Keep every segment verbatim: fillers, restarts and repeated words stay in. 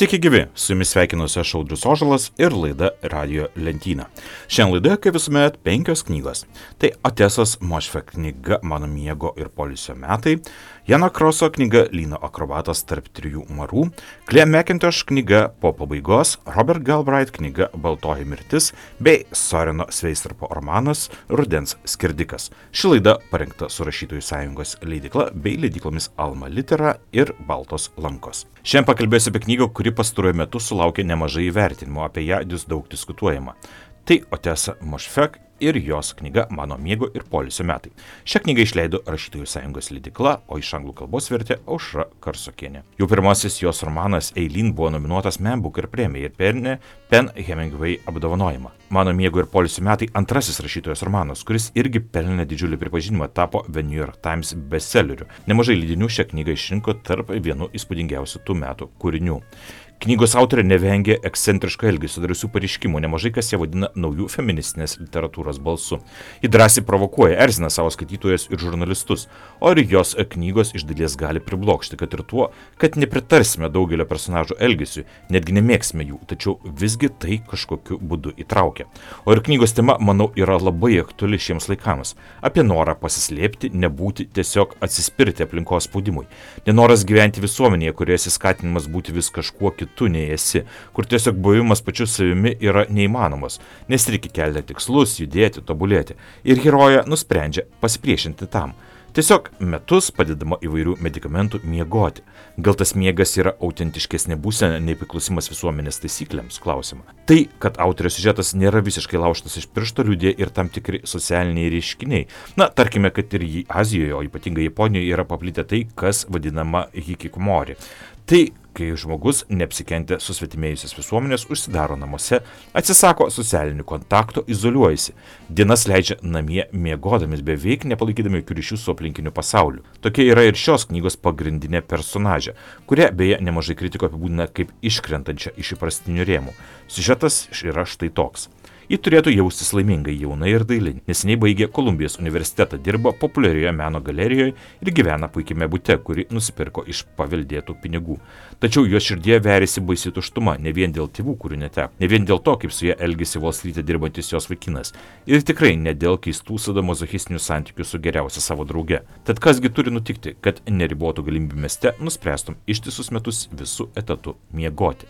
Sveiki gyvi, su jumis sveikinuosi aš Audrius Ožalas ir laida Radijo lentyna. Šiandien laidoje, kaip visuomet, penkios knygos. Tai Otesos Mošfek knyga Mano miego ir poilsio metai, Jano Kroso knyga Lyno akrobatas tarp trijų marų, Claire McIntosh knyga Po pabaigos, Robert Galbraith knyga Baltoji mirtis bei Soreno Sveistarpo romanas Rudens skirdikas. Ši laida parengta su Rašytojų sąjungos leidykla bei leidyklomis Alma Litera ir Baltos lankos. Šiandien pakalbėsiu apie knygą, kuri pastaruoju metu sulaukė nemažai įvertinimo, apie ją vis daug diskutuojama. Tai Otesa Mošfek ir jos knyga Mano miego ir poilsio metai. Šią knygą išleido Rašytojų sąjungos leidykla, o iš anglų kalbos vertė Aušra Karsokienė. Jau pirmasis jos romanas Eileen buvo nominuotas Man Booker premijai ir pelnė Pen Hemingway apdovanojimą. Mano miego ir poilsio metai antrasis rašytojos romanas, kuris irgi pelnė didžiulį pripažinimą, tapo The New York Times bestselleriu. Nemažai leidinių šią knygą išrinko tarp vienų įspūdingiausių tų metų kūrinių. Knygos autorė nevengė ekscentriško elgesio, drąsių pareiškimų, nemažai kas ją vadina naujų feministinės literatūros balsu. Ji drąsiai provokuoja, erzina savo skaitytojus ir žurnalistus, o ir jos knygos iš dalies gali priblokšti, kad ir tuo, kad nepritarsime daugelio personažų elgesiui, netgi nemėgsime jų, tačiau visgi tai kažkokiu būdu įtraukia. O ir knygos tema, manau, yra labai aktuali šiems laikams. Apie norą pasislėpti, nebūti, tiesiog atsispirti aplinkos spaudimui. Nenoras gyventi visuomenėje, kurioje skatinimas būti vis kažkuo kitu. Tu nei esi, kur tiesiog buvimas pačiu savimi yra neįmanomas, nes reikia kelti tikslus, judėti, tobulėti. Ir herojė nusprendžia pasipriešinti tam. Tiesiog metus padedama įvairių medikamentų miegoti. Gal tas miegas yra autentiškesnė būsena nei priklausimas visuomenės taisyklėms, klausimą. Tai, kad autorės siužetas nėra visiškai laužtas iš piršto, liudija ir tam tikri socialiniai reiškiniai. Na, tarkime, kad ir Azijoje, o ypatingai Japonijoje yra paplitę tai, kas vadinama hikikomori. Tai, kai žmogus, neapsikentę susvetimėjusios visuomenės, užsidaro namuose, atsisako socialinių kontaktų, izoliuojasi. Dienas leidžia namie miegodamis, beveik nepalaikydami jokių ryšių su aplinkiniu pasauliu. Tokia yra ir šios knygos pagrindinė personažė, kurią beje nemažai kritiko apibūdina kaip iškrentančią iš įprastinių rėmų. Siužetas yra štai toks. Ji turėtų jaustis laimingai, jauna ir daili. Neseniai baigė Kolumbijos universitetą, dirba populiarioje meno galerijoje ir gyvena puikiame bute, kurį nusipirko iš paveldėtų pinigų. Tačiau jos širdie veriasi baisi tuštuma, ne vien dėl tėvų, kurių neteko, ne vien dėl to, kaip su ja elgėsi Wall Street'e dirbantis jos vaikinas, ir tikrai ne dėl keistų sadomazochistinių santykių su geriausia savo drauge. Tad kasgi turi nutikti, kad neribotų galimybių mieste nuspręstum ištisus metus visų etatų miegoti.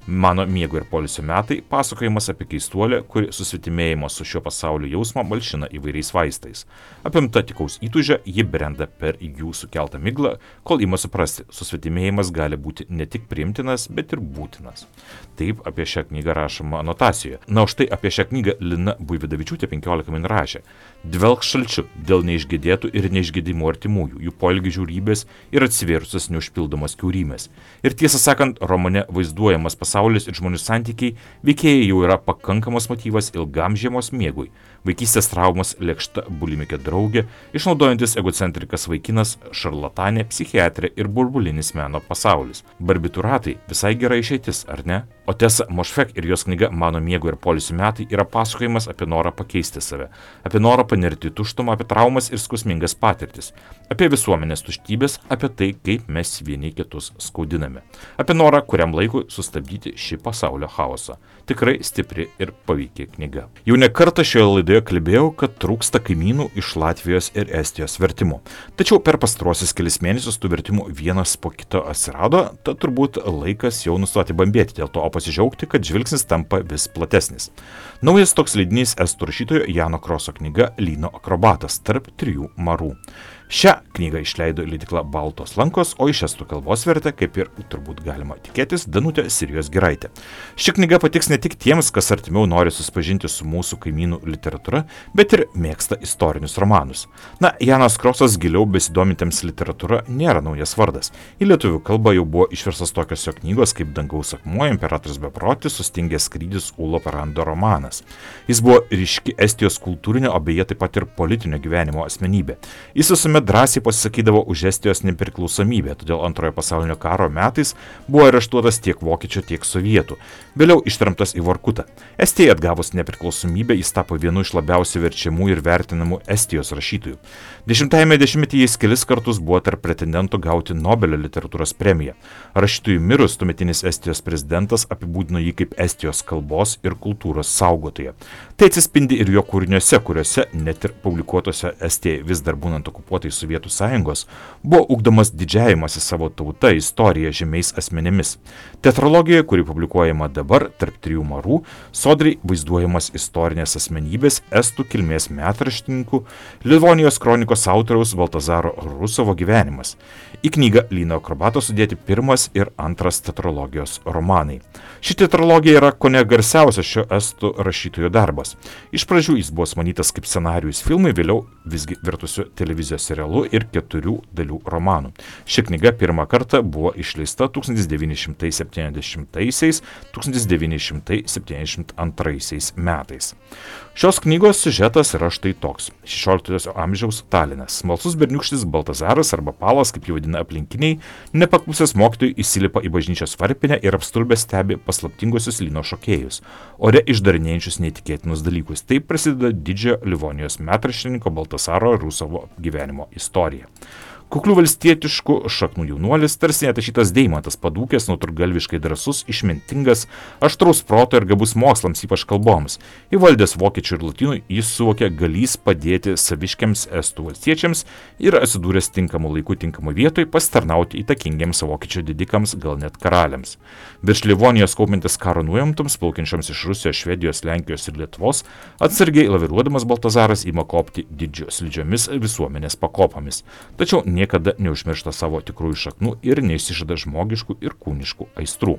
Mano miego ir poilsio metai pasakojimas apie keistuolę, kuri susvetimėjimo su šiuo pasaulio jausmą malšina įvairiais vaistais. Apimta tikaus įtūžio, ji brenda per jų sukeltą miglą, kol ima suprasti, susvetimėjimas gali būti ne tik priimtinas, bet ir būtinas. Taip apie šią knygą rašoma anotacijoje. Na, o štai apie šią knygą Lina Buividavičiūtė penkiolika min rašė. Dvelk šalčiu dėl neišgėdėtų ir neišgėdimų artimųjų, jų poelgių žiaurybės ir atsivėrusios neužpildomos kiaurymės. Ir tiesą sakant, romane vaizduojamas pasaulis Pasaulis ir žmonių santykiai veikėjai jau yra pakankamas motyvas ilgam žiemos miegui. Vaikystės traumas, lėkšta bulimikė draugė, išnaudojantis egocentrikas vaikinas, šarlatanė, psichiatrė ir burbulinis meno pasaulis. Barbituratai visai gera išeitis, ar ne? Otesa Mošfek ir jos knyga Mano miego ir poilsio metai yra pasakojimas apie norą pakeisti save, apie norą panirti tuštumą, apie traumas ir skausmingas patirtis, apie visuomenės tuštybės, apie tai, kaip mes vieni kitus skaudiname, apie norą kuriam laikui sustabdyti šį pasaulio chaosą. Tikrai stipri ir paveikia knyga. Jau ne kartą šioje laidoje kalbėjau, kad trūksta kaimynų iš Latvijos ir Estijos vertimų. Tačiau per pastaruosius kelis mėnesius tų vertimų vienas po kito atsirado, tad turbūt laikas jau nustoti bambėti dėl to, o pasidžiaugti, kad žvilgsnis tampa vis platesnis. Naujas toks leidinys estų rašytojo Jano Kroso knyga Lyno akrobatas tarp trijų marų. Šią knygą išleido leidykla Baltos lankos, o iš estų kalbos vertė, kaip ir turbūt galima tikėtis, Danutė Sirijos Giraitė. Ši knyga patiks ne tik tiems, kas artimiau nori susipažinti su mūsų kaimynų literatūra, bet ir mėgsta istorinius romanus. Na, Janas Krosas giliau besidomintiems literatūra nėra naujas vardas. Į lietuvių kalbą jau buvo išverstas tokios jo knygos kaip Dangaus akmuo, Imperatorius beprotis, Sustingęs skrydis, Ulo Parando romanas. Jis buvo ryški Estijos kultūrinio, o beje taip pat ir politinio gyvenimo asmenybė. Jis visuomet visuomet drąsiai pasisakydavo už Estijos nepriklausomybę, todėl antrojo pasaulinio karo metais buvo areštuotas tiek vokiečių, tiek sovietų, vėliau ištremtas į Vorkutą. Estijai atgavus nepriklausomybę jis tapo vienu iš labiausiai verčiamų ir vertinamų Estijos rašytojų. Dešimtajame dešimtmetyje jis kelis kartus buvo tarp pretendentų gauti Nobelio literatūros premiją. Rašytojui mirus, tuometinis Estijos prezidentas apibūdino jį kaip Estijos kalbos ir kultūros saugotoją. Tai atsispindi ir jo kūriniuose, kuriuose, net ir publikuotose Estijai vis dar būnant okupuotai Sovietų sąjungos, buvo ugdomas didžiavimas į savo tautą, istoriją, žymiais asmenėmis. Teatrologijoje, kuri publikuojama dabar, tarp trijų marų, sodriai vaizduojamas istorinės asmenybės estų kilmės metraštininkų, Livonijos kronikos autoriaus Baltazaro Rusovo gyvenimas. Į knygą Lyno akrobato sudėti pirmas ir antras teatrologijos romanai. Ši teatrologija yra kone garsiausias šio estų rašytojo darbas. Iš pradžių jis buvo sumanytas kaip scenarijus filmui, vėliau visgi virtusiu televizijos serialu ir keturių dalių romanų. Ši knyga pirmą kartą buvo išleista tūkstantis devyni šimtai septyniasdešimtaisiais - tūkstantis devyni šimtai septyniasdešimt antraisiais metais. Šios knygos siužetas yra štai toks. šešioliktojo amžiaus Talinas. Smalsus berniūkštis Baltazaras arba Palas, kaip jį vadina aplinkiniai, nepaklusęs mokytojui įsilipa į bažnyčios varpinę ir apstulbęs stebi paslaptinguosius Lyno šokėjus, ore išdarinėjančius neįtikėtinus dalykus. Taip prasideda didžiojo Livonijos metraštininko Baltazaro Rusovo gyvenimo istorija. Kuklių valstietiškų šaknų jaunuolis, tarsi netašytas deimantas, padūkęs, nutrūktgalviškai drąsus, išmintingas, aštraus proto ir gabus mokslams, ypač kalboms. Įvaldęs vokiečių ir lotynų, jis suvokė galys padėti saviškiams estų valstiečiams ir atsidūręs tinkamu laiku tinkamu vietoj pasitarnauti įtakingiems vokiečių didikams, gal net karaliams. Virš Livonijos kaupiantis karo nuojamtoms, plaukiančioms iš Rusijos, Švedijos, Lenkijos ir Lietuvos, atsargiai laviruodamas Baltazaras ima kopti didžio slidžiomis visuomenės pakopomis. Tačiau niekada neužmiršta savo tikrųjų šaknų ir neišsižada žmogiškų ir kūniškų aistrų.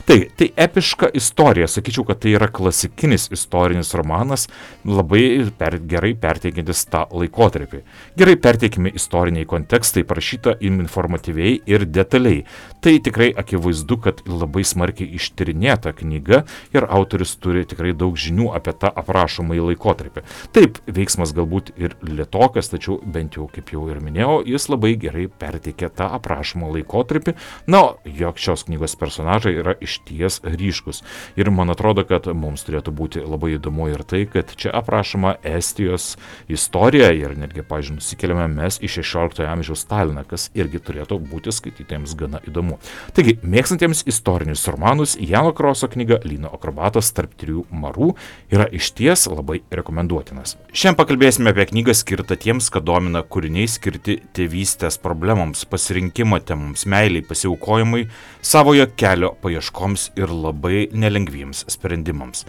Tai, tai epiška istorija, sakyčiau, kad tai yra klasikinis istorinis romanas, labai per, gerai perteikiantis tą laikotarpį. Gerai perteikimi istoriniai kontekstai, parašyta informatyviai ir detaliai. Tai tikrai akivaizdu, kad labai smarkiai ištyrinėta knyga ir autorius turi tikrai daug žinių apie tą aprašomąjį laikotarpį. Taip, veiksmas galbūt ir lėtokas, tačiau bent jau, kaip jau ir minėjau, jis labai gerai perteikia tą aprašomą laikotarpį, na, jog šios knygos personažai yra išties ryškus. Ir man atrodo, kad mums turėtų būti labai įdomu ir tai, kad čia aprašoma Estijos istorija ir netgi, pažiūrėjau, nusikeliame mes į šešioliktojo amžiaus Taliną, kas irgi turėtų būti skaitytojams gana įdomu. Taigi, mėgstantiems istorinius romanus, Jano Kroso knyga Lyno akrobatas tarp trijų marų yra išties labai rekomenduotinas. Šiandien pakalbėsime apie knygą skirtą tiems, kad domina kūriniai skirti tėvystės problemams, pasirinkimo temams, meiliai, pasiaukojimui, savojo kelio paieškoms ir labai nelengviems sprendimams.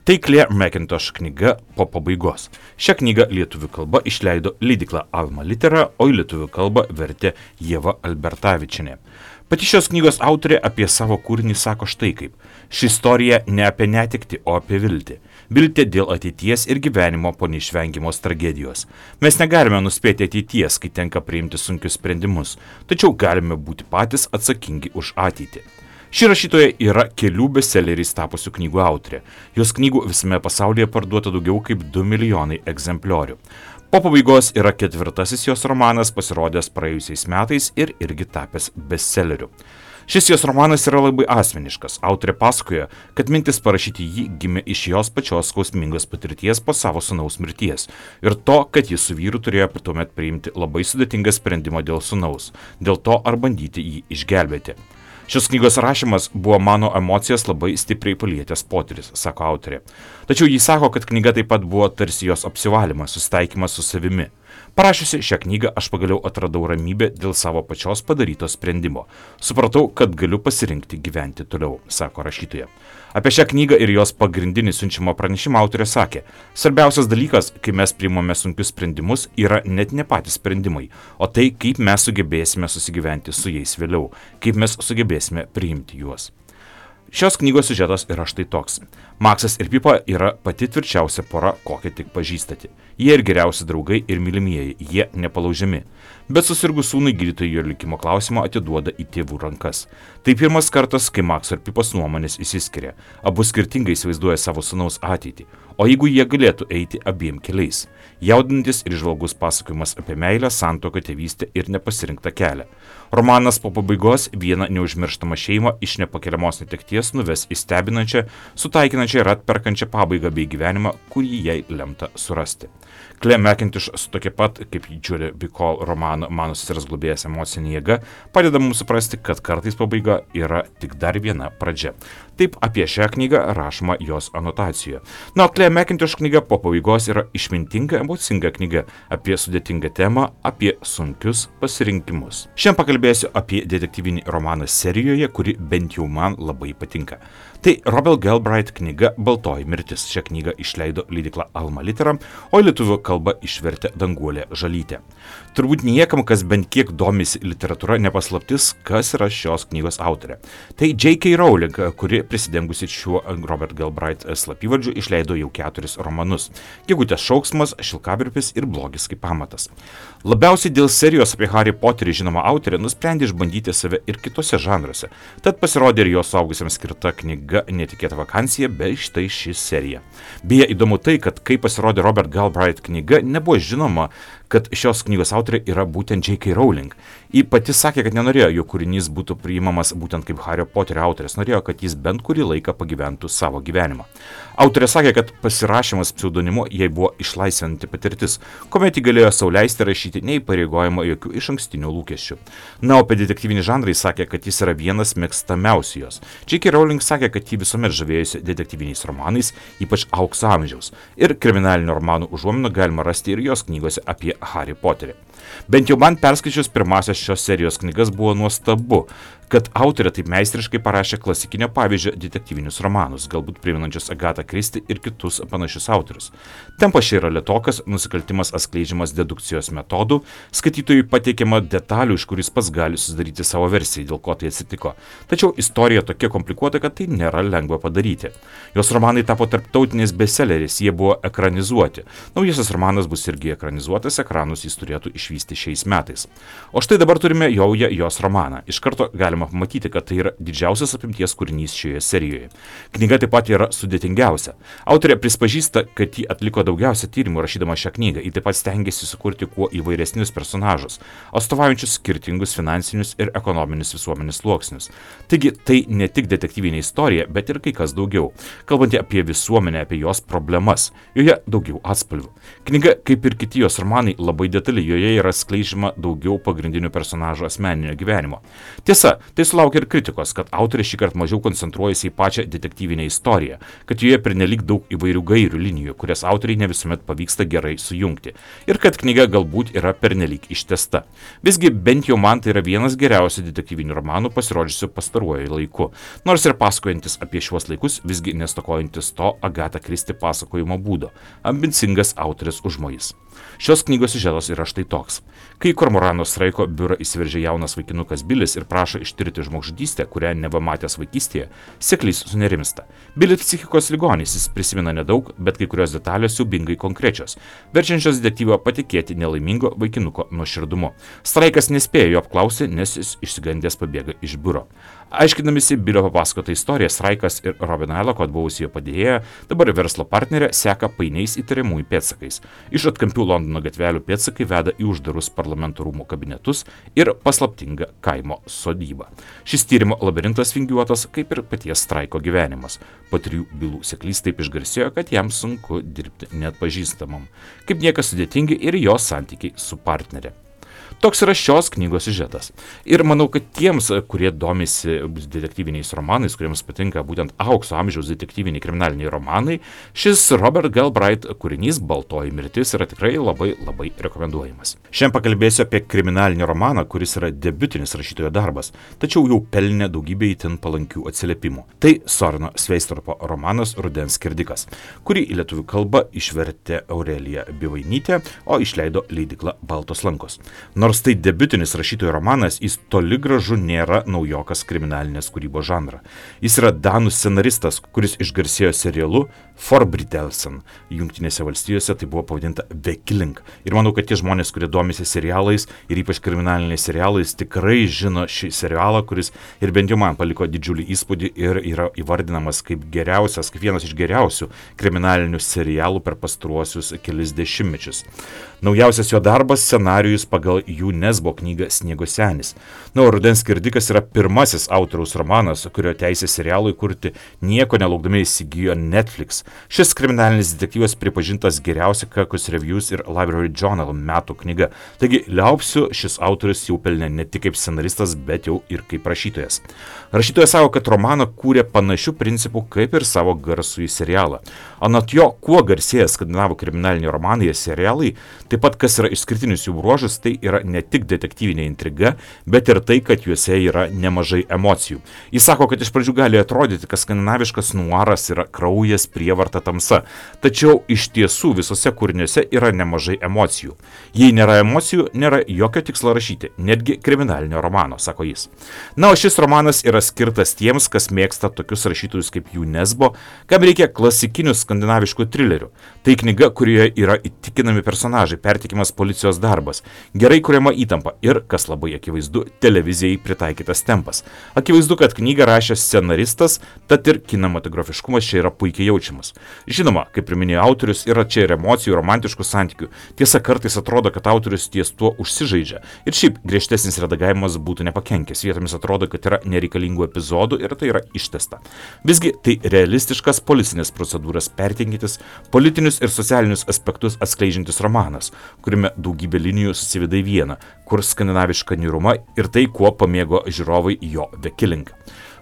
Tai Claire McIntosh knyga Po pabaigos. Šią knygą lietuvių kalba išleido leidykla Alma Litera, o į lietuvių kalbą vertė Ieva Albertavičienė. Pati šios knygos autorė apie savo kūrinį sako štai kaip. Ši istorija ne apie netektį, o apie viltį. Viltį dėl ateities ir gyvenimo po neišvengiamos tragedijos. Mes negalime nuspėti ateities, kai tenka priimti sunkius sprendimus, tačiau galime būti patys atsakingi už ateitį. Ši rašytoja yra kelių bestselleriais tapusių knygų autorė. Jos knygų visame pasaulyje parduota daugiau kaip du milijonai egzempliorių. Po pabaigos yra ketvirtasis jos romanas, pasirodęs praėjusiais metais ir irgi tapęs bestselleriu. Šis jos romanas yra labai asmeniškas. Autorė pasakoja, kad mintis parašyti jį gimė iš jos pačios skausmingos patirties po savo sūnaus mirties ir to, kad jis su vyru turėjo tuomet priimti labai sudėtingą sprendimą dėl sūnaus, dėl to ar bandyti jį išgelbėti. Šios knygos rašymas buvo mano emocijas labai stipriai palietęs potyris, sako autorė. Tačiau jis sako, kad knyga taip pat buvo tarsi jos apsivalymas, susitaikymas su savimi. Parašiusi šią knygą aš pagaliau atradau ramybę dėl savo pačios padaryto sprendimo. Supratau, kad galiu pasirinkti gyventi toliau, sako rašytoja. Apie šią knygą ir jos pagrindinį siunčiamo pranešimą autorė sakė, svarbiausias dalykas, kai mes priimame sunkius sprendimus, yra net ne patys sprendimai, o tai, kaip mes sugebėsime susigyventi su jais vėliau, kaip mes sugebėsime priimti juos. Šios knygos siužetas yra štai toks. Maksas ir Pipa yra pati tvirčiausia pora, kokią tik pažįstate. Jie ir geriausi draugai ir mylimieji, jie nepalaužiami. Bet susirgus sūnui gydytojai jo likimo klausimą atiduoda į tėvų rankas. Tai pirmas kartas, kai Makso ir Pipos nuomonės išsiskiria. Abu skirtingai įsivaizduoja savo sūnaus ateitį. o jeigu jie galėtų eiti abiem keliais. Jaudinantis ir žvalgus pasakojimas apie meilę, santuoką, tėvystę ir nepasirinktą kelią. Romanas po pabaigos vieną neužmirštamą šeimą iš nepakeliamos netekties nuves į stebinančią, sutaikinančią ir atperkančią pabaigą bei gyvenimą, kurį jai lemta surasti. Claire McIntosh su tokia pat, kaip Judy Bicol romano Mano sesers globėjas emocinė jėga, padeda mums suprasti, kad kartais pabaiga yra tik dar viena pradžia. Taip apie šią knygą rašoma jos anotacijoje. Na, Claire McIntosh knyga po pabaigos yra išmintinga, emocinga knyga apie sudėtingą temą, apie sunkius pasirinkimus. Šiandien pakalbėsiu apie detektyvinį romaną serijoje, kuri bent jau man labai patinka. Tai Robert Galbraith knyga Baltoji mirtis. Šią knygą išleido leidykla Alma Litera, o į lietuvių kalbą išvertė Danguolė Žalytė. Turbūt niekam, kas bent kiek domisi literatūra, nepaslaptis, kas yra šios knygos autorė. Tai J K Rowling, kuri prisidengusi šiuo Robert Galbraith slapyvardžiu išleido jau keturis romanus – Gegutės šauksmas, Šilkavirpis ir Blogis kaip pamatas. Labiausiai dėl serijos apie Harry Potterį žinoma autorė nusprendė išbandyti save ir kitose žanruose, tad pasirodė ir jos suaugusiems skirta knyga Netikėta vakancija, bei štai ši serija. Beje, įdomu tai, kad kai pasirodė Robert Galbraith knyga, nebuvo žinoma, kad šios knygos autorė yra būtent J K Rowling. Ji pati sakė, kad nenorėjo, jo kūrinys būtų priimamas būtent kaip Hario Poterio autorės, norėjo, kad jis bent kurį laiką pagyventų savo gyvenimą. Autorė sakė, kad pasirašymas pseudonimu jai buvo išlaisvinanti patirtis, kuomet ji galėjo sau leisti rašyti neįpareigojimo jokių išankstinių lūkesčių. Na, o apie detektyvinį žanrą jis sakė, kad jis yra vienas mėgstamiausių jos. J K Rowling sakė, kad ji visuomet žavėjusi detektyviniais romanais, ypač aukso amžiaus. Ir kriminalinio romanų užuominų galima rasti ir jos knygose apie Harry Potterį. Bent jau man perskaičius pirmasias šios serijos knygas buvo nuostabu, kad autorė taip meistriškai parašė klasikinio pavyzdžio detektyvinius romanus, galbūt priminančius Agatą Christie ir kitus panašius autorius. Tempas čia yra lėtokas, nusikaltimas atskleidžiamas dedukcijos metodų, skaitytojui pateikiama detalių, iš kuris pats gali susidaryti savo versiją, dėl ko tai atsitiko. Tačiau istorija tokia komplikuota, kad tai nėra lengva padaryti. Jos romanai tapo tarptautiniais bestselleriais, jie buvo ekranizuoti. Naujasis romanas bus irgi ekranizuotas, ekranus jis turėtų išvysti šiais metais. O štai dabar turime jaują jos romaną. Iš karto galime pamatyti, kad tai yra didžiausias apimties kūrinys šioje serijoje. Knyga taip pat yra sudėtingiausia. Autorė prispažįsta, kad ji atliko daugiausia tyrimų rašydama šią knygą. Ji taip pat stengiasi sukurti kuo įvairesnius personažus, atstovaujančius skirtingus finansinius ir ekonominius visuomenės sluoksnius. Taigi tai ne tik detektyvinė istorija, bet ir kai kas daugiau. Kalbant apie visuomenę, apie jos problemas. Joje daugiau atspalvių. Knyga, kaip ir kiti jos romanai, labai detali. Joje yra skleidžiama daugiau pagrindinių personažų asmeninio gyvenimo. Tiesa, tai sulaukia ir kritikos, kad autorė šįkart mažiau koncentruojasi į pačią detektyvinę istoriją, kad joje pernelyg daug įvairių gairių linijų, kurias autoriai ne visuomet pavyksta gerai sujungti, ir kad knyga galbūt yra pernelyg ištęsta. Visgi bent jau man tai yra vienas geriausių detektyvinių romanų pasirodžiusių pastaruoju laiku, nors ir pasakojantis apie šiuos laikus, visgi nestokojantis to Agatą Christie pasakojimo būdo, ambicingas autorės užmojis. Šios knygos siužetas yra štai toks. Kai Kormorano Straiko biurą įsiveržia jaunas vaikinukas Bilis ir prašo ištirti žmogžudystę, kurią neva matęs vaikystėje, seklys sunerimsta. Bilis psichikos ligonis, jis prisimena nedaug, bet kai kurios detalės siaubingai konkrečios, verčiančios detektyvą patikėti nelaimingo vaikinuko nuoširdumu. Straikas nespėjo jo apklausyti, nes jis išsigandęs pabėga iš biuro. Aiškinamisi Bilio papasakotą istoriją, Straikas ir Robin Ailakot, buvusi jo padėjėja, dabar verslo partnerė, seka painiais įtariamųjų pėdsakais. Iš atkampių Londono gatvelių pėdsakai veda į uždarus parlamento rūmų kabinetus ir paslaptingą kaimo sodybą. Šis tyrimo labirintas vingiuotas, kaip ir paties Straiko gyvenimas. Po trijų bylų seklys taip išgarsėjo, kad jam sunku dirbti neatpažįstamam. Kaip niekas sudėtingi ir jos santykiai su partnerė. Toks yra šios knygos siužetas. Ir manau, kad tiems, kurie domisi detektyviniais romanais, kuriems patinka būtent aukso amžiaus detektyviniai kriminaliniai romanai, šis Robert Galbraith kūrinys Baltoji mirtis yra tikrai labai labai rekomenduojamas. Šiandien pakalbėsiu apie kriminalinį romaną, kuris yra debiutinis rašytojo darbas, tačiau jau pelnė daugybę itin palankių atsiliepimų. Tai Soreno Sveistropo romanas Rudens skerdikas, kurį į lietuvių kalbą išvertė Aurelija Bivainytė, o išleido leidykla Baltos lankos. Nors Nors tai debiutinis rašytojo romanas, jis toli gražu nėra naujokas kriminalinės kūrybos žanrą. Jis yra danų scenaristas, kuris išgarsėjo serialu Forbrytelsen. Jungtinėse valstijose tai buvo pavadinta The Killing. Ir manau, kad tie žmonės, kurie domisi serialais ir ypač kriminaliniais serialais, tikrai žino šį serialą, kuris ir bent jau man paliko didžiulį įspūdį ir yra įvardinamas kaip geriausias, kaip vienas iš geriausių kriminalinių serialų per pastaruosius kelis dešimtmečius. Naujausias jo darbas – scenarijus pagal Jų Nesbo knygą Sniego senis. Na, o Rudens skirdikas yra pirmasis autoriaus romanas, kurio teisė serialui kurti nieko nelaukdami įsigijo Netflix. Šis kriminalinis detektyvas pripažintas geriausia Kirkus Reviews ir Library Journal metų knyga. Taigi, liaupsiu, šis autorius jau pelnė ne tik kaip scenaristas, bet jau ir kaip rašytojas. Rašytojas savo, kad romaną kūrė panašių principų kaip ir savo garsųjį serialą. Anot jo, kuo garsėja skandinavų kriminaliniai romanai ir serialai, taip pat kas yra išskirtinis jų bruožas, tai yra ne tik detektyvinė intriga, bet ir tai, kad juose yra nemažai emocijų. Jis sako, kad iš pradžių gali atrodyti, kad skandinaviškas nuaras yra kraujas, prievarta, tamsa. Tačiau iš tiesų visose kūriniuose yra nemažai emocijų. Jei nėra emocijų, nėra jokio tikslo rašyti, netgi kriminalinio romano, sako jis. Na, o šis romanas yra skirtas tiems, kas mėgsta tokius rašytojus kaip Jų Nesbo, kam reikia klasikinių skandinaviškų trilerių. Tai knyga, kurioje yra įtikinami personažai, pertikimas policijos darbas, gerai kuriama įtampa ir, kas labai akivaizdu, televizijai pritaikytas tempas. Akivaizdu, kad knygą rašė scenaristas, tad ir kinematografiškumas čia yra puikiai jaučiamas. Žinoma, kaip ir minėjo autorius, yra čia ir emocijų, romantiškų santykių. Tiesa, kartais atrodo, kad autorius ties tuo užsižaidžia. Ir šiaip griežtesnis redagavimas būtų nepakenkęs. Vietomis atrodo, kad yra nereikalingų epizodų ir tai yra ištesta. Visgi tai realistiškas policinės procedūras pertinkintis, politinius ir socialinius aspektus atskleidžiantis romanas, kuriame daugybė linijų susiveda į vieną, kur skandinaviška niūruma ir tai, kuo pamėgo žiūrovai jo The Killing.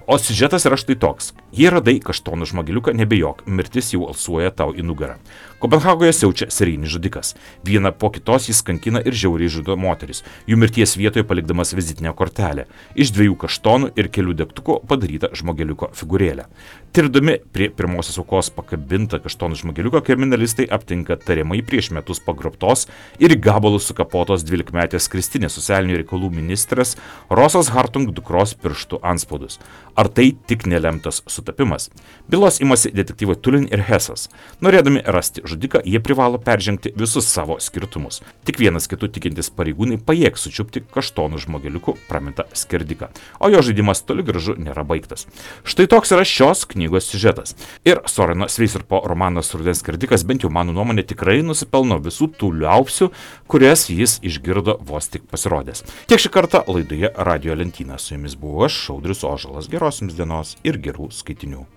O siužetas yra štai toks. Jei radai kaštonų žmogeliuką, nebejok, mirtis jau alsuoja tau į nugarą. Kopenhagoje siaučia serijinis žudikas. Vieną po kitos jis kankina ir žiauriai žudo moteris, jų mirties vietoje palikdamas vizitinę kortelę. Iš dviejų kaštonų ir kelių degtukų padaryta žmogeliuko figūrėlė. Tirdami prie pirmosios aukos pakabintą kaštonų žmogeliuką, kriminalistai aptinka tariamai prieš metus pagrobtos ir gabalus sukapotos dvylikmetės Kristinės socialinių reikalų ministrės Rosos Hartung dukros pirštų anspaudus. Ar tai tik nelemtas sutapimas? Bylos imasi detektyvai Tulin ir Hesas. Norėdami rasti žudiką, jie privalo peržengti visus savo skirtumus. Tik vienas kitų tikintis pareigūnai pajėgs sučiupti kaštonų žmogeliukų pramintą skerdiką. O jo žaidimas toli gražu nėra baigtas. Štai toks yra šios knygos siužetas. Ir Soreno Sveisarpo romanas Rudens skerdikas, bent jau mano nuomonė, tikrai nusipelno visų tų liaupsių, kurias jis išgirdo vos tik pasirodęs. Tiek šį kartą laidoje Radio Lentyna. Su jumis buvau aš, Audrius Ožalas. Geros jums dienos ir gerų skaitinių.